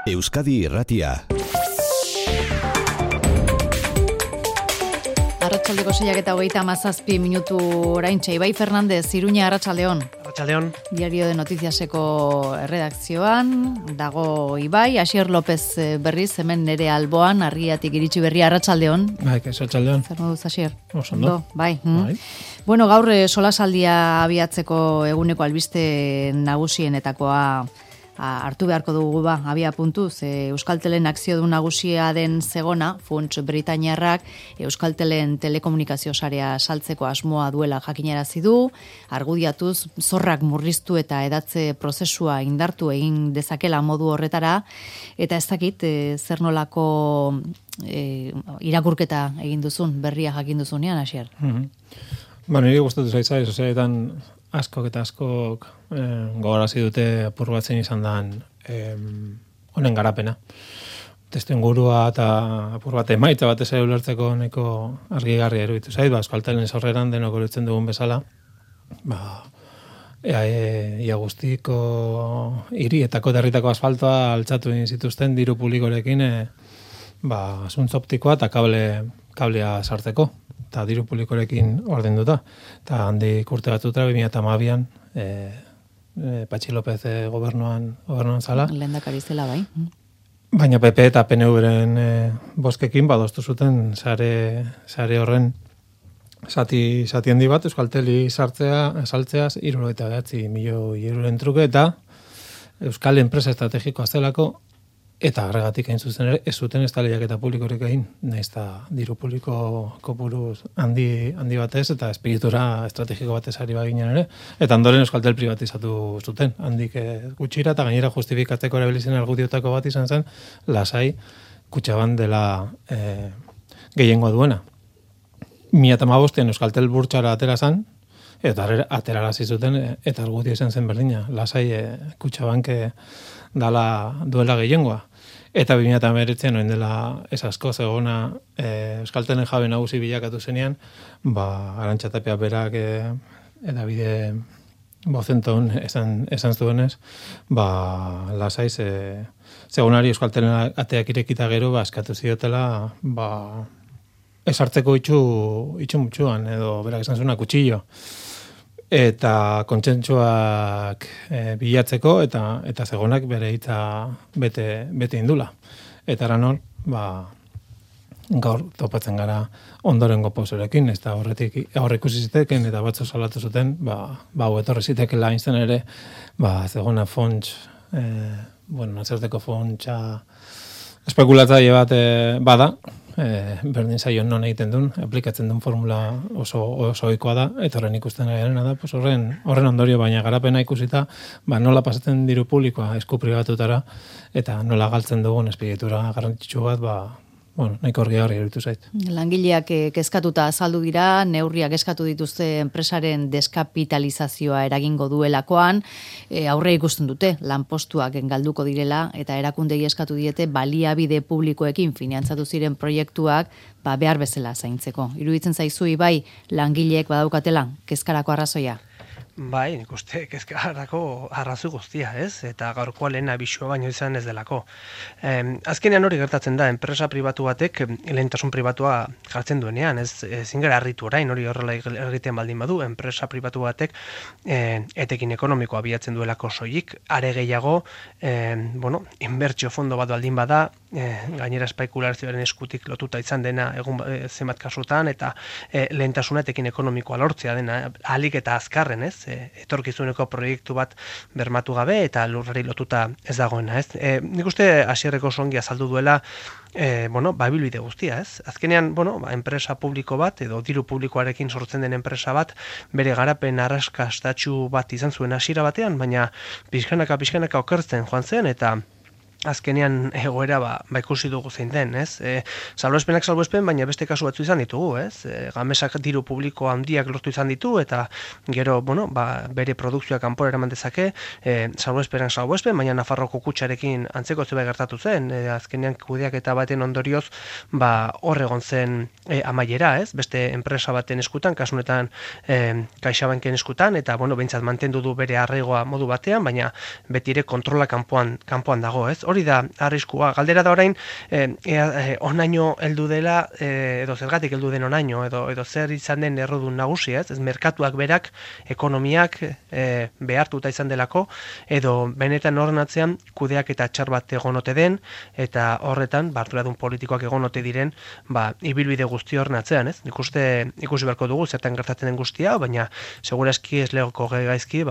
Euskadi Irratia. Arratsaldeko 6:37 oraintxe. Ibai Fernandez, Iruña, arratsaldeon. Arratsaldeon. Diario de Noticiaseko erredakzioan dago Ibai, Asier López berriz hemen nere alboan, argiatik iritsi berri, arratsaldeon. Bai, arratsaldeon. Zer moduz, Asier? Ondo. Bai. Bueno, gaur solasaldia abiatzeko eguneko albiste nagusienetakoa hartu beharko dugu abia puntuz. Euskaltelen akziodun nagusia den Zegona, funts britainiarrak Euskaltelen telekomunikazio sarea saltzeko asmoa duela jakinarazi du, argudiatuz zorrak murriztu eta edatze prozesua indartu egin dezakela modu horretara, eta ez dakit zer nolako irakurketa egin duzun, berria jakin duzunean, Asier. Niri gustatu zaitzai, sozialetan askok eta askok gogarazi dute apur batzen izan dan honen garapena. Testu ingurua eta apur bat emaitza batez ere ulertzeko neko argigarria eruditu zait, Euskaltelen sorreran denok ulertzen dugun bezala, ia guztiko hirietako derritako asfaltoa altzatu egin zituzten diru publikorekin zuntz optikoa eta kablea sartzeko. Eta diru publikorekin ordenduta. Eta handik urte batzutara, 2012an, Patxi López gobernuan zala. Lehendakari zela, bai. Baina PP eta PNV-ren bozkekin badostu zuten sare horren zati handi bat, Euskalteli saltzeaz 79 milioi euroren truke, eta Euskal enpresa estrategikoa zelako, eta horregatik hain zuzen ere, ez zuten ez da lehiaketa publikorik egin, nahiz eta diru publiko kopuru handi batez, eta espiritura estrategiko batez ari baginen ere, eta ondoren Euskaltel privatizatu zuten, handik gutxira, eta gainera justifikatzeko erabilizen argudiotako bat izan zen, lasai Kutxabank dela gehiengoa duena. 2015 Euskaltel burtsara atera zen, eta aterarazi zuten, eta argudio izan zen berdina, lasai Kutxabank duela gehiengoa. Eta 2019 noin dela ez asko Zegona Euskaltelen jabe nagusi bilakatu zenean, Arantxa Tapia berak edabide bozenton esan zuenez, lasai Zegonari Euskaltelen ateak irekita gero eskatu ziotela esartzeko itxu mutxuan, edo berak esan zuena kutxillo. Eta kontsentsuak bilatzeko, eta Zegonak bere hitza bete indula. Eta eran hor, gaur topatzen gara ondorengo pozorekin, ez da horrek ikusi ziteken, eta batzu salatu zuten, etorri zitekela hain ere, Zegona fonts, nazerteko fontsa espekulatzaile bat bada, berdin zaio non egiten duen, aplikatzen duen formula oso ohikoa da, eta horren ikusten garena da, horren ondorio, baina garapena ikusita, nola pasatzen diru publikoa esku pribatutara, eta nola galtzen dugun espiritura garrantzitsu bat, nahiko argigarria iruditu zait. Langileak kezkatuta azaldu dira, neurriak eskatu dituzte enpresaren deskapitalizazioa eragingo duelakoan, aurre ikusten dute, lanpostuak galduko direla, eta erakundei eskatu diete baliabide publikoekin finantzatu ziren proiektuak behar bezala zaintzeko. Iruditzen zaizu Ibai, langileek badaukatela kezkarako arrazoia? Bai, nik uste kezkarako arrazu guztia, ez? Eta gaurkoa lehen abisua baino izan ez delako. Azkenean hori gertatzen da, enpresa pribatu batek lehentasun pribatua jartzen duenean, ez zingara harritu orain, hori horrela egiten baldin badu, enpresa pribatu batek etekin ekonomikoa bilatzen duelako soilik, are gehiago, inbertsio fondo bat baldin bada, gainera espekulazioaren eskutik lotuta izan dena egun zenbat kasutan, eta lehentasuna etekin ekonomikoa lortzea dena, ahalik eta azkarren, ez? Etorkizuneko proiektu bat bermatu gabe eta lurrari lotuta ez dagoena, ez? Nik uste Asierreko songi azaldu duela babilbide guztia, ez? Azkenean, enpresa publiko bat edo diru publikoarekin sortzen den enpresa bat bere garapen arrakastatsu bat izan zuen hasiera batean, baina pixkanaka okertzen joan zen, eta azkenean egoera ikusi dugu zein den, ez? Salbuespen, baina beste kasu batzu izan ditugu, ez? Gamesak diru publiko handiak lortu izan ditu, eta gero, bere produkzioa kanpora eraman dezake, salbuespen, baina Nafarroko kutxarekin antzeko zerbait gertatu zen, azkenean kudeaketa baten ondorioz, hor egon zen amaiera, ez? Beste enpresa baten eskutan, kasunetan CaixaBanken eskutan, eta, behintzat mantendu du bere arraigoa modu batean, baina beti ere kontrola kanpoan dago, ez? Hori hori da arriskua. Galdera da orain, onaino heldu dela, edo zergatik heldu den onaino, edo zer izan den errodun nagusia, ez merkatuak berak, ekonomiak behartuta izan delako, edo benetan horren atzean kudeak eta txar bat egonote den, eta horretan, arduradun politikoak egonote diren, ibilbide guzti horren atzean, ez? Nik uste ikusi beharko dugu, zertan gertatzen den guztia, baina segurazki ez legoko gaizki,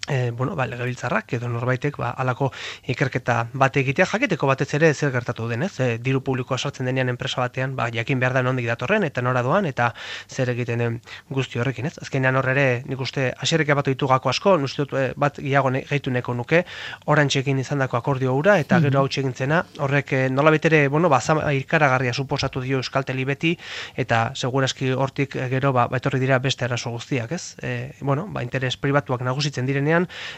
legebiltzarrak edo norbaitek halako ikerketa bat egitea jakiteko batez ere zer gertatu den, ez? Diru publikoa sartzen denean enpresa batean, jakin behar da nondik datorren eta nora doan eta zer egiten den guzti horrekin, ez? Azkenean hor ere, nik uste hasierrek batu ditu gako asko, uste dut bat gehiago gehitu nahiko nuke, Orantzekin izandako akordio hura eta gero hau txegintzena, horrek nolabait ere, ikaragarria suposatu dio Euskalteli beti eta segurazki hortik gero etorri dira beste arazo guztiak, ez? Interes pribatuak nagusitzen direnean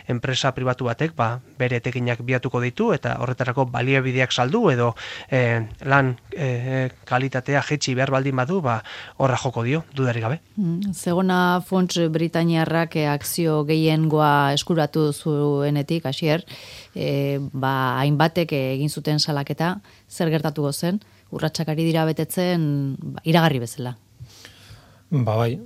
enpresa pribatu batek bere etekinak biatuko ditu eta horretarako baliabideak saldu edo lan kalitatea jetxi behar baldin badu horra joko dio, dudarik gabe. Zegona Fonts Britainiarrak akzio gehiengoa eskuratu zuenetik, Asier, hainbatek egin zuten salaketa, zer gertatuko zen, urratsak ari dira betetzen iragarri bezala. Bai,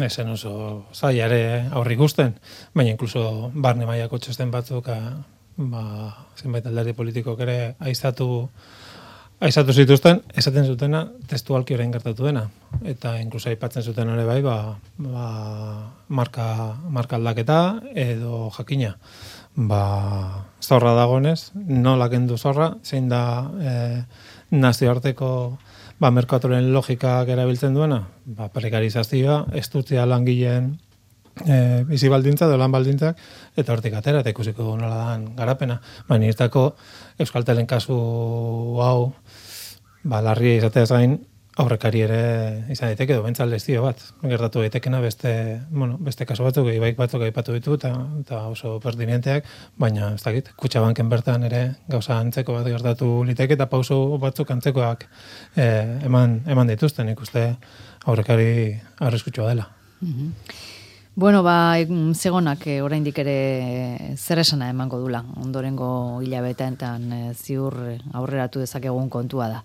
esen oso zaiare aurri ikusten, baina inkluso barne mailako txosten batzuk zenbait alderdi politikok ere aizatu zituzten, esaten zutena testualki orain gertatu dena, eta inkluso aipatzen zuten ere bai, marka aldaketa edo jakina. Zorra dagoenez, nola kendu zorra, zein da nazioarteko merkatuaren logikak erabiltzen duena, prekarizazioa, estutzea langileen bizi baldintza, lan baldintzak, eta hortik atera, eta ikusiko nola dan garapena. Nirtako Euskaltelen kasu hau, larria izateaz gain, aurrekari ere izan daiteke, edo bentsal lezio bat. Gertatu daitekena beste kasu batzuk, ibaik batzuk aipatu ditu, eta oso pertinenteak, baina ez dakit, Kutxabanken bertan ere gauza antzeko bat gertatu liteke, eta pauso batzuk antzekoak eman dituzten, ikuste aurrekari arriskutsua dela. Zegonak oraindik ere zer esana emango dula, ondorengo hilabeteetan ziur aurreratu dezakegun kontua da.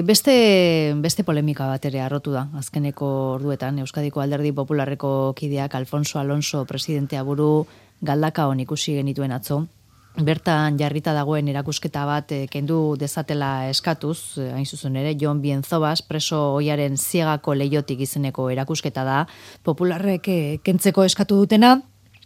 Beste polemika bat ere arrotu da, azkeneko orduetan, Euskadiko Alderdi Popularreko kideak Alfonso Alonso presidentea buru Galdakaon ikusi genituen atzo, bertan jarrita dagoen erakusketa bat kendu dezatela eskatuz, hain zuzen ere, Jon Bienzobas, preso ohiaren ziegako leiotik izeneko erakusketa da, popularrek kentzeko eskatu dutena,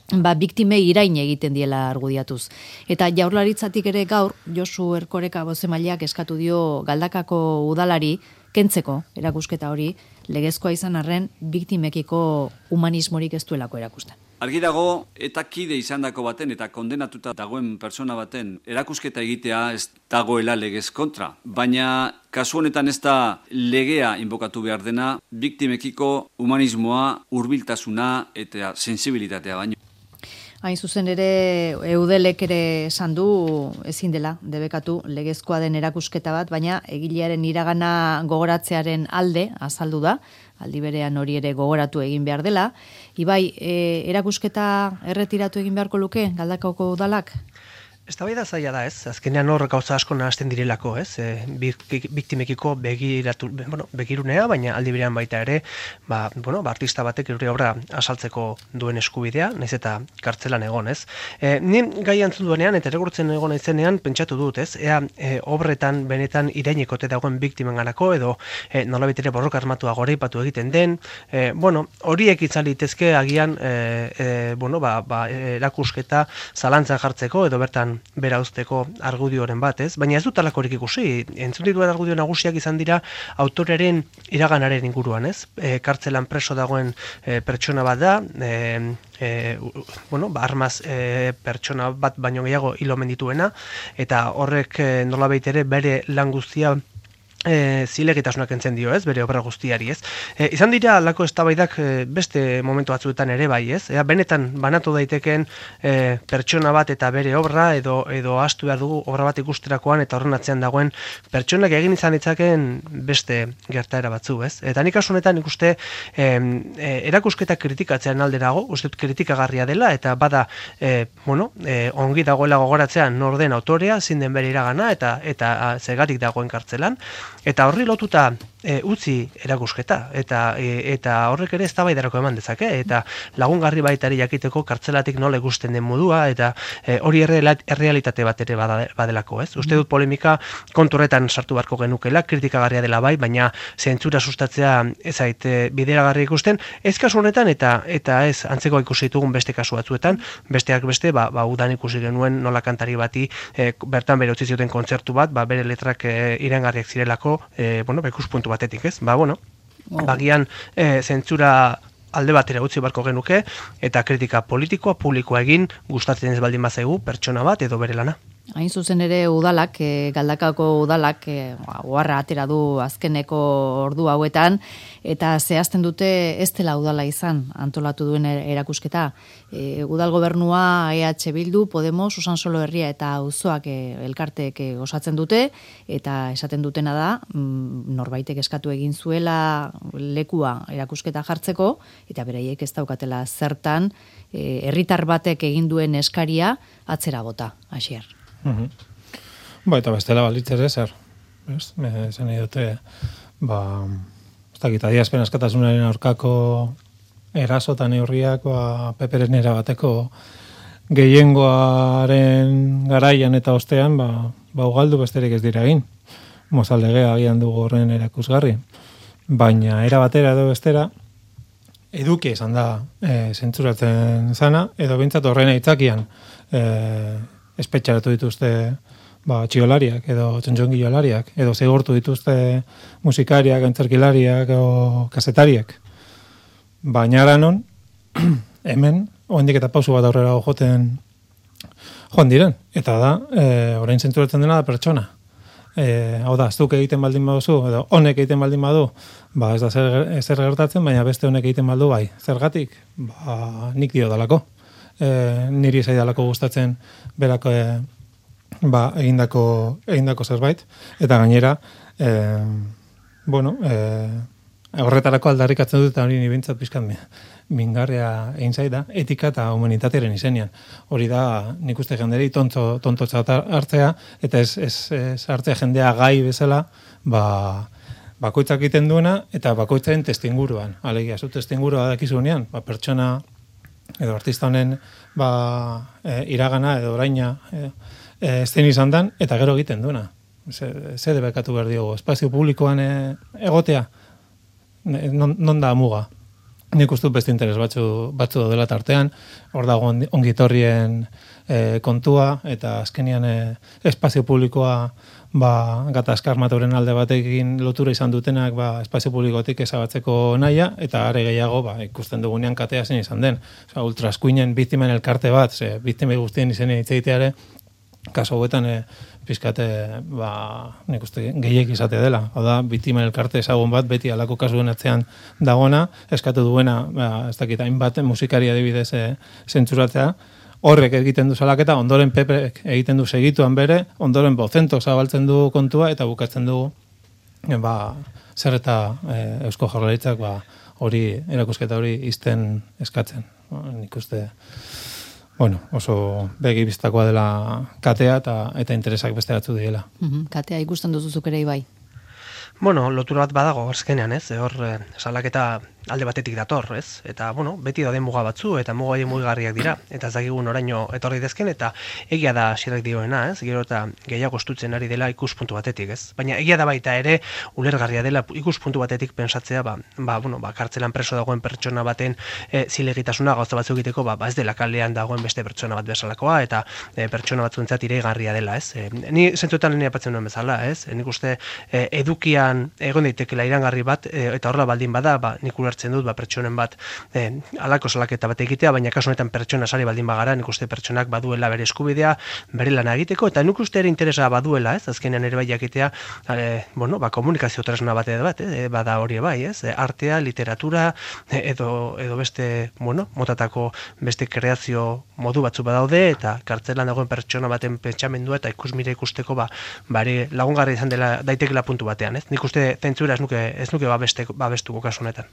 biktimei irain egiten diela argudiatuz. Eta Jaurlaritzatik ere gaur, Josu Erkoreka bozemaileak eskatu dio Galdakako udalari kentzeko erakusketa hori, legezkoa izan arren, biktimekiko humanismorik ez duelako erakusten. Argi dago, eta kide izandako baten eta kondenatuta dagoen persona baten erakusketa egitea ez dagoela legez kontra. Baina kasu honetan ez da legea inbokatu behar dena, biktimekiko humanismoa, hurbiltasuna eta sensibilitatea baino. Hain zuzen ere, Eudelek ere esan du ezin dela debekatu legezkoa den erakusketa bat, baina egilearen iragana gogoratzearen alde azaldu da, aldi berean hori ere gogoratu egin behar dela. Ibai, erakusketa erretiratu egin beharko luke Galdakaoko udalak? Eztabaida zaila da, ez? Azkenean hor gauza asko nahasten direlako, ez? Biktimekiko begirunea, baina aldi berean baita ere, artista batek gure obra asaltzeko duen eskubidea, naiz eta kartzelan egon, ez? Ni gai antzun duenean, eta erregurtzen egon naizenean, pentsatu dut, ez? Ea obretan benetan irainekote dagoen biktimenganako, edo nolabait ere borroka armatua goreipatu egiten den, horiek izan litezke agian, erakusketa zalantzan jartzeko, edo bertan bera uzteko argudioren bat, ez? Baina ez dut alakorik ikusi. Entzun dituen argudio nagusiak izan dira autorearen iraganaren inguruan, ez? Kartzelan preso dagoen pertsona bat da, armaz pertsona bat baino gehiago hil omen dituena, eta horrek nolabait ere bere lan guztia zilegitasunak entzen dio, ez, bere obra guztiari, ez. Izan dira alako eztabaidak beste momentu batzuetan ere bai, ez. Benetan banatu daiteken pertsona bat eta bere obra edo astu behar dugu obra bat ikusterakoan eta horren atzean dagoen pertsonak egin izan ditzaken beste gertaera batzu, ez. Eta nik kasu honetan ikuste erakusketa kritikatzean alderago, uste dut kritikagarria dela eta bada ongi dagoela gogoratzean nor den autorea, zein den bere iragana eta zegatik dagoen kartzelan. Eta horri lotuta utzi erakusketa eta horrek ere eztabaidarako eman dezake eta lagungarri baitari jakiteko kartzelatik nola ikusten den modua eta hori errealitate bat ere badelako, ez? Uste dut polemika kontu horretan sartu beharko genukela, kritikagarria dela bai, baina zentzura sustatzea ez zait bideragarri ikusten, ez kasu honetan eta ez antzeko ikusi ditugun beste kasu batzuetan, besteak beste, udan ikusi genuen nola kantari bati bertan bere utzi zioten kontzertu bat, bere letrak iraingarriak zirelako, ikuspuntu batetik, ez? Bagian zentzura alde batera utzi beharko genuke eta kritika politikoa, publikoa egin gustatzen ez baldin bazaigu pertsona bat edo bere lana. Hain zuzen ere udalak, Galdakaoko udalak oharra atera du azkeneko ordu hauetan eta zehazten dute ez dela udala izan antolatu duen erakusketa. Udal gobernua, EH Bildu, Podemos, Usansolo Herria eta auzoak elkarteek osatzen dute eta esaten dutena da norbaitek eskatu egin zuela lekua erakusketa jartzeko eta beraiek ez daukatela zertan herritar batek egin duen eskaria atzera bota, Asier. Eta bestela balitz ere zer. Esan nahi dute, ez dakit, adierazpen askatasunaren aurkako eraso eta neurriak peperen erabateko gehiengoaren garaian eta ostean ugaldu besterik ez dira egin. Mozaldegea agian dugu horren erakusgarri. Baina era batera edo bestera eduki izan da zentzuratzen zana, edo bintzat horren aitzakian espetxaratu dituzte txiolariak edo txontxongilolariak edo zigortu dituzte musikariak, antzerkilariak edo kasetariak. Baina aranon, hemen, oendik eta pausu bat aurrera joan diren. Eta da, orain zentzuratzen dena da pertsona. Hau da, zuk egiten baldin baduzu, edo honek egiten baldin badu, ez da zer gertatzen, baina beste honek egiten baldu bai. Zergatik? Nik dio dalako. Niri zaidalako gustatzen berako egindako zerbait eta gainera horretarako aldarrikatzen dut eta hori nibintzat pizkat mingarria egin zaida etika eta humanitatearen izenean. Hori da nik uste jenderi tontotza hartzea eta ez hartzea jendea gai bezala bakoitzak egiten duena eta bakoitzaren testinguruan. Alegia, zu testingurua dakizunean, pertsona edo artista honen iragana edo oraina zein izan dan, eta gero egiten duena. Ze debekatu behar diogu. Espazio publikoan egotea, non da muga. Nik uste beste interes batzu dela tartean, hor dago ongitorrien kontua, eta azkenian espazio publikoa gatazkar matoren alde batekin lotura izan dutenak espazio publikotik ezabatzeko naia, eta are gehiago ikusten dugunean katea zen izan den. Ultraskuinen biktimen elkarte bat, biktimei guztien izenen hitzeiteare, kaso hauetan pizkate nik uste gehiek izate dela. Hau da, biktimen elkarte ezagun bat beti alako kasuen atzean dagona, eskatu duena, ez dakit, hainbat musikari adibidez zentzuratzea, horrek egiten du salaketa, ondoren Pepek egiten du segituan bere, ondoren Bozento zabaltzen du kontua, eta bukatzen du zer eta Eusko Jaurlaritzak hori erakusketa hori izten eskatzen. Nik uste oso begi biztakoa dela katea eta interesak beste batzu diela. Katea ikusten duzuzuk ere bai. Lotura bat badago azkenean, ez? Hor salaketa alde batetik dator, ez? Eta, beti dauden muga batzu, eta muga mugigarriak dira, eta ez dakigun oraino etorri dezken, eta egia da Asierrek dioena, ez? Gero eta gehiago estutzen ari dela ikuspuntu batetik, ez? Baina egia da baita ere, ulergarria dela ikuspuntu batetik pensatzea, kartzelan preso dagoen pertsona baten zilegitasuna gauza batzu egiteko, ez dela kalean dagoen beste pertsona bat bezalakoa, eta pertsona batzuentzat iregarria dela, ez? Ni zentzuetan lehen apatzen duen bezala, ez? Nik uste edukian egon daitekela irangarri bat, eta horrela baldin bada, nik ulertzen dut, pertsonen bat halako salaketa bat egitea, baina kasu honetan pertsona sari baldin bagara, nik uste pertsonak baduela bere eskubidea, bere lana egiteko, eta nik uste ere interesa baduela, azkenean ere bai jakitea, komunikazio tresna bat bada hori bai, artea, literatura, edo beste, motatako beste kreazio modu batzu badaude, eta kartzelan dagoen pertsona baten pentsamendua eta ikusmira ikusteko bari lagungarri izan dela daitekela puntu batean, Nik uste zentzura ez nuke babestuko kasu honetan.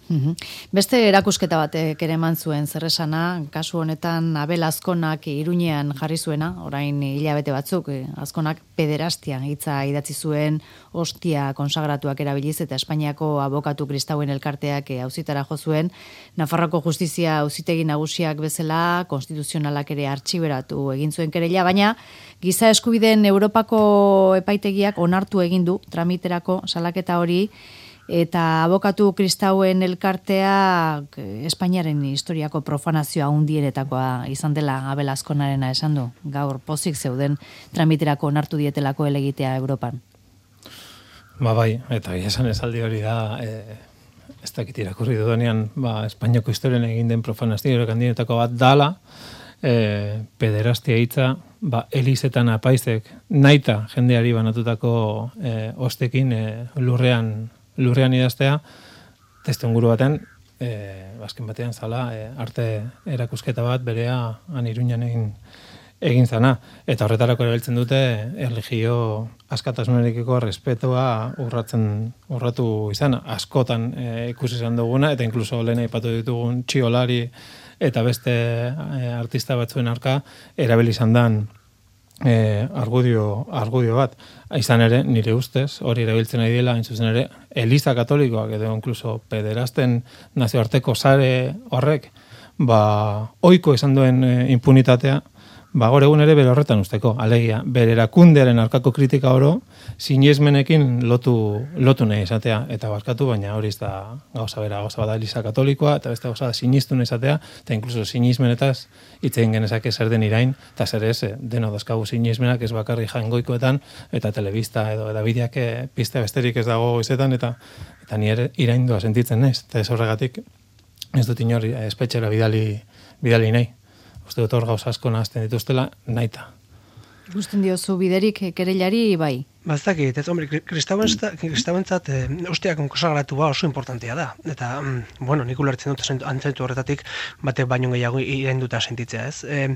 Beste erakusketa batek ere eman zuen zerresana, kasu honetan Abel Azkonak Iruñean jarri zuena, orain hilabete batzuk, Azkonak pederastia hitza idatzi zuen, ostia konsagratuak erabiliz eta Espainiako abokatu kristauen elkarteak auzitara jo zuen, Nafarroako justizia auzitegi nagusiak bezala konstituzionalak ere artxiberatu egin zuen kereila, baina giza eskubideen Europako epaitegiak onartu egin du tramiterako salaketa hori, eta abokatu kristauen elkartea Espainiaren historiako profanazioa hundienetakoa izan dela Abel Azkonarena esan du. Gaur pozik zeuden tramiterako onartu dietelako elegitea Europan. Bai, eta esan esaldi hori da, ez dakit irakurri dudanean, Espainiako historian egin den profanazio handienetako bat dala, pederastia hitza, Elizetan apaizek naita jendeari banatutako ostekin lurrean idaztea, testuinguru baten, azken batean zala, arte erakusketa bat berea Iruñan egin zana. Eta horretarako erabiltzen dute erlijio askatasunarekiko respetua urratu izan. Askotan ikusi izan duguna, eta inkluso lehen aipatu ditugun Txiolari eta beste artista batzuen arka erabili izan dan argudio bat. Izan ere, nire ustez, hori erabiltzen ari dela, hain zuzen ere, Eliza Katolikoak edo inkluso pederasten nazioarteko sare horrek, ohiko izan duen impunitatea, gaur egun ere bere horretan usteko, alegia, bere erakundearen arkako kritika oro, sinesmenekin lotu nahi izatea, eta barkatu, baina hori ez da gauza bada Eliza Katolikoa, eta beste gauza da sinistu nahi izatea, eta inkluso sinismenetaz hitzein genezake zer den irain, eta zer ez, deno dazkagu sinismenak ez bakarri jaingoikoetan, eta telebista edo edabideak piste besterik ez dago izetan, eta ni ere iraindua sentitzen naiz, eta ez horregatik ez dut inor espetxera bidali nahi. Uste dut hor gauza asko nahazten dituztela, naita. Ikusten diozu biderik kereilari bai? Bazdakit, kristauentzat ostiak konsagratua oso importantea da. Eta, nik ulertzen dut antzentu horretatik batek baino gehiago irainduta sentitzea, ez?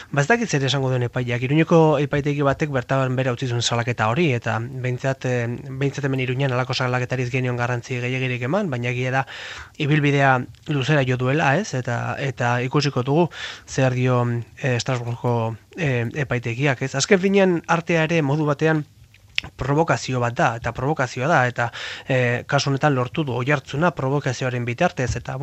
Bazdakit zer esango duen epaiak. Iruñeko epaitegi batek bertaban bere utzi zuen salaketa hori, eta behintzat hemen Iruñan alako salaketariz genion garrantzi gehiagirik eman, baina egia da ibilbidea luzera jo duela, ez? Eta ikusiko dugu zer dio Estrasburgoko epaitegiak, ez? Azken finean artea ere modu batean provokazio bat da, eta provokazioa da, eta kasu honetan lortu du oihartzuna provokazioaren bitartez, eta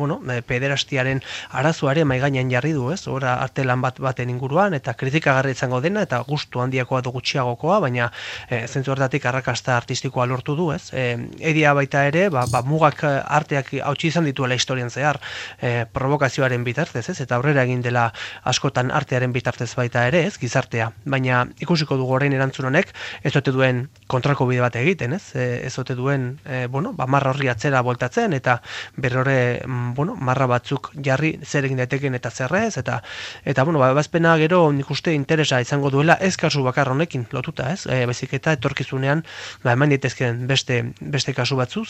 pederastiaren arazoare maigainan jarri du, ez? Ora arte lan baten inguruan, eta kritikagarri izango dena, eta gustu handiakoa du gutxiagokoa, baina zentzu horretatik arrakasta artistikoa lortu du, ez? Egia baita ere, mugak arteak hautsi izan dituela historian zehar provokazioaren bitartez, ez? Eta aurrera egin dela askotan artearen bitartez baita ere, ez? Gizartea, baina ikusiko dugu orain erantzun honek, ez ote duen kontrako bide bat egiten, ez? Ez ote duen, marra horri atzera voltatzen, eta berrore, marra batzuk jarri zer egin daiteken eta zerrez, eta bazpena gero nik uste interesa izango duela ez kasu bakar honekin lotuta, ez? Baizik eta etorkizunean, eman daitezkeen beste kasu batzu,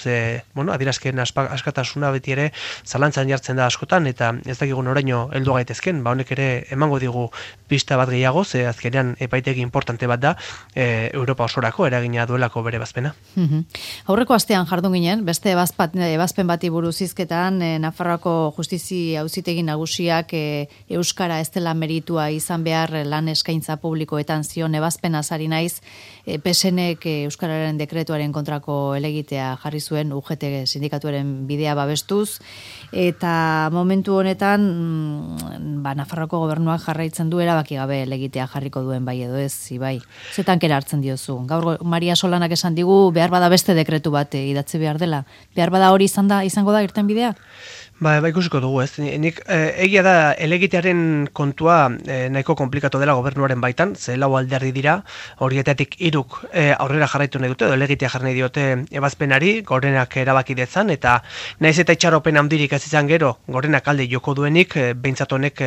adierazkeen askatasuna beti ere zalantzan jartzen da askotan, eta ez dakigun oraino heldu gaitezken, honek ere emango digu pista bat gehiago, ze azkenean epaitegi importante bat da, Europa osorako eragina duelako bere bazpena. Aurreko astean jardun ginen, beste ebazpen bati buruz hizketan, Nafarroako Justizi Auzitegi Nagusiak euskara ez dela meritua izan behar lan eskaintza publikoetan zion ebazpena ari naiz, PSNek euskararen dekretuaren kontrako elegitea jarri zuen UGT sindikatuaren bidea babestuz, eta momentu honetan Nafarroako gobernuak jarraitzen du erabaki gabe elegitea jarriko duen bai edo ez, bai. Zetan kera hartzen diozu. Gaur Maria Solanak esan digu behar bada beste dekretu bat idatzi behar dela. Behar bada hori izango da irtenbidea? Ba, ikusiko dugu, ez. Nik egia da elegitearen kontua nahiko komplikatu dela gobernuaren baitan, ze lau alderdi dira, horietatik 3 aurrera jarraitu nahi dute, edo elegitea jarri nahi diote ebazpenari, gorenak erabaki dezan, eta naiz eta itxaropen handirik ez izan gero, gorenak alde joko duenik, behintzat honek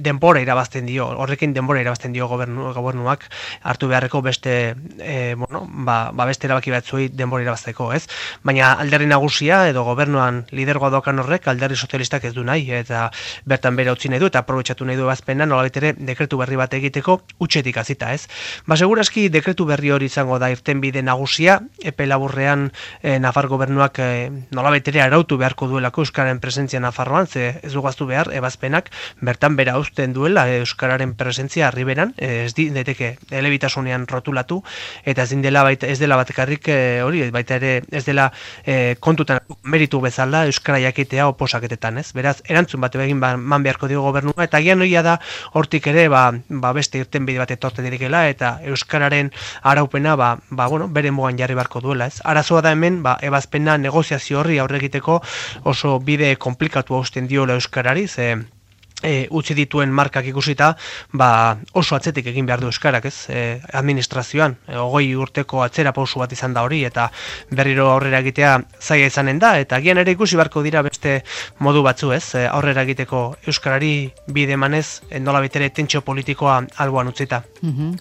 denbora irabazten dio, horrekin denbora irabazten dio gobernuak hartu beharreko beste, beste erabaki batzuei denbora irabazteko, ez. Baina alderdi nagusia edo gobernuan lidergoa daukan horrek, alderdi sozialistak ez du nahi, eta bertan bere utzi nahi du, eta aprobetxatu nahi du ebazpena, nolabait ere dekretu berri bat egiteko utxetik hasita, ez. Ba, segurazki dekretu berri hori izango da irtenbide nagusia, epe laburrean Nafar gobernuak nolabait ere arautu beharko duelako euskararen presentzia Nafarroan, ze ez dugaztu behar ebazpenak bertan bera uzten duela euskararen presentzia arriberan, ez diteke elebitasunean rotulatu, eta ez dela batekarrik hori, baita ere ez dela kontutan meritu bezala euskara jakitea oposaketetan, ez? Beraz, erantzun bat egin man beharko dio gobernua, eta gian hoia da hortik ere beste irtenbide bat etorten dirikela, eta euskararen araupena bere mugan jarri beharko duela, ez? Arazoa da hemen, ebazpena negoziazio horri aurre egiteko oso bide komplikatu hausten diola euskarari, ze utzi dituen markak ikusita, oso atzetik egin behar du euskarak, ez? Administrazioan, 20 urteko atzera pausu bat izan da hori, eta berriro aurrera egitea zaila izanen da, eta gian ere ikusi beharko dira beste modu batzu, ez? Aurrera egiteko euskarari bide emanez, nola betere tentsio politikoa alboan utzita.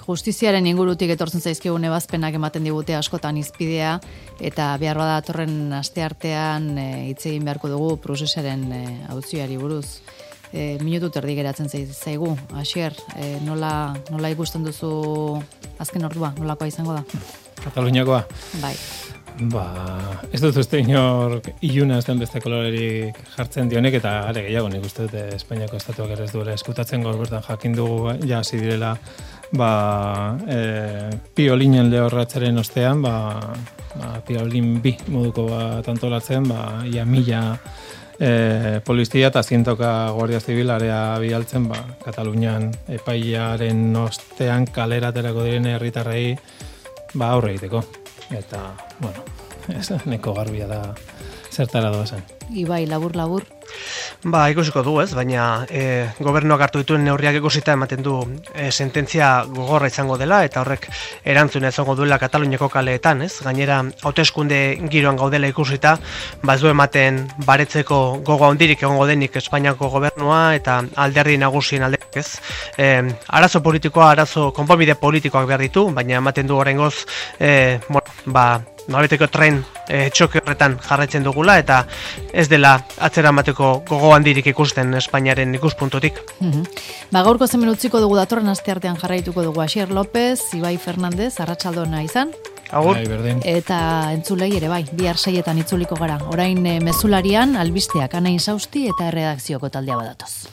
Justiziaren ingurutik etortzen zaizkigun ebazpenak ematen digute askotan izpidea, eta behar bada datorren asteartean hitz egin beharko dugu prozesaren auziari buruz. Minutu terdi geratzen zaigu. Asier, nola ikusten duzu azken ordua, nolakoa izango da? Kataluniakoa? Bai. Ez dut uste inor iluna ez den beste kolorerik jartzen dionek, eta are gehiago nik uste dute Espainiako estatuak ere ez duela eskutatzen gaur bertan jakin dugu hasi direla piolinen lehorratzaren ostean, piolin bi moduko bat antolatzen, ia 1000 polizia eta 100 Guardia Zibil area bialtzen, Katalunian epailearen ostean kalera aterako diren herritarrei aurre egiteko. Eta, neko garbia da zertara doazen. Ibai, labur. Ikusiko du, ez, baina gobernuak hartu dituen neurriak ikusita ematen du sententzia gogorra izango dela, eta horrek erantzuna izango duela Kataluniako kaleetan, ez? Gainera, hauteskunde giroan gaudela ikusita, ez du ematen baretzeko gogo handirik egongo denik Espainiako gobernua eta alderdi nagusien aldeak, ez? Arazo konponbide politikoak behar ditu, baina ematen du oraingoz, nolabeteko tren txoke horretan jarraitzen dugula, eta ez dela atzera emateko gogo handirik ikusten Espainiaren ikuspuntutik. Gaurko hemen utziko dugu, datorren asteartean jarraituko dugu Asier López, Ibai Fernandez, arratsaldona izan. Agur. Eta entzulei ere bai, bihar 6etan itzuliko gara. Orain mezularian albisteak Ana Insausti eta erredakzioko taldea badatoz.